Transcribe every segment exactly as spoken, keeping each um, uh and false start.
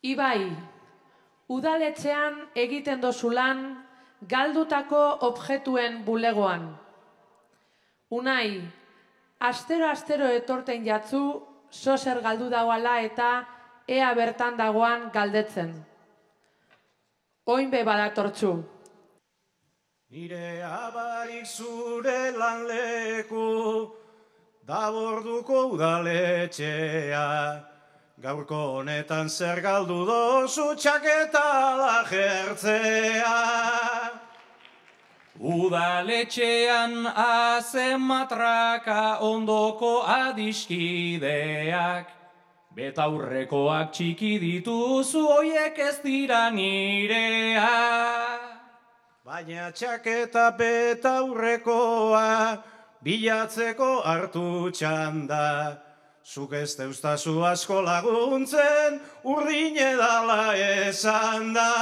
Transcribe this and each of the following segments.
Ibai, udaletxean egiten dozu lan galdutako objektuen bulegoan. Unai, astero-astero etorten jatzu, sozer galdu dagoala eta ea bertan dagoan galdetzen. Oin be badatortzu. Nire abarik zure lanleku, daborduko udaletxea, gaurko honetan zer galdu dozu txaketa lajertzea. Udaletxean azen matraka ondoko adiskideak, betaurrekoak txiki dituzu hoiek ez dira nirea. Baina txaketa betaurrekoa bilatzeko hartu txanda, zuk ez deustazu asko laguntzen urdine dala esan da.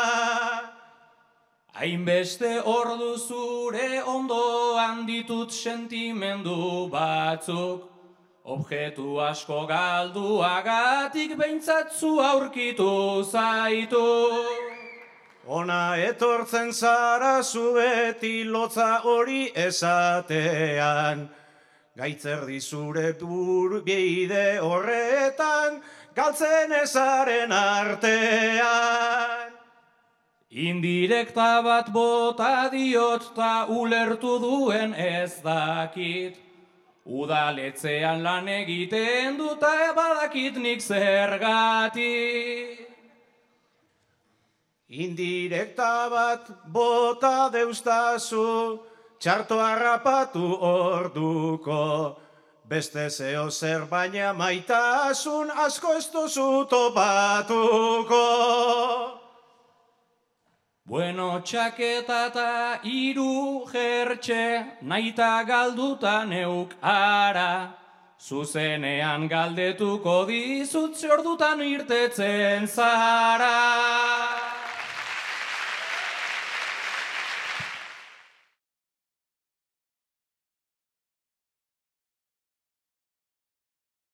Hainbeste ordu zure ondoan ditut sentimendu batzuk, objektu asko galduagatik behintzatzu aurkitu zaitu. Ona etortzen zara zu beti lotza hori esatean, gaitzerdi zure bide horretan galtzen ezaren artean. Indirekta bat bota diot ta ulertu duen ez dakit, udaletxean lan egiten duta badakit nik zergatik. Indirekta bat bota deustazu, txarto harrapatu orduko, beste zeo zer baina maitasun asko ez duzu topatuko. Bueno, txaketa eta hiru jertxe, naita galduta neuk ara, zuzenean galdetuko dizut zordutan irtetzen zara.